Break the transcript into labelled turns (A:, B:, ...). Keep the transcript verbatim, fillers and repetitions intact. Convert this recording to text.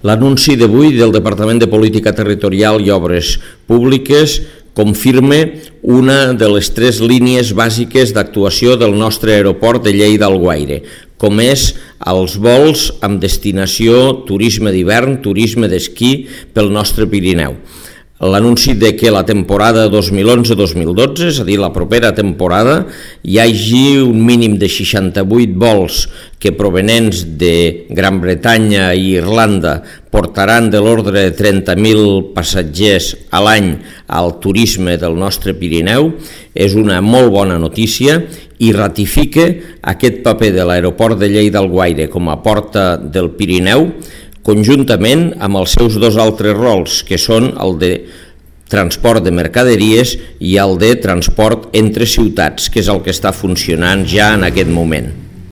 A: L'anunci d'avui del Departament de Política Territorial i Obres Públiques confirma una de les tres línies bàsiques d'actuació del nostre aeroport de Lleida-Alguaire, com és els vols amb destinació turisme d'hivern, turisme d'esquí pel nostre Pirineu. L'anunci de que la temporada dos mil onze dos mil dotze, és a dir, la propera temporada, hi hagi un mínim de seixanta-vuit vols que provenents de Gran Bretanya i Irlanda portaran de l'ordre de trenta mil passatgers a l'any al turisme del nostre Pirineu, és una molt bona notícia i ratifica aquest paper de l'aeroport de Lleida-Alguaire com a porta del Pirineu, conjuntament amb els seus dos altres rols, que són el de transport de mercaderies i el de transport entre ciutats, que és el que està funcionant ja en aquest moment.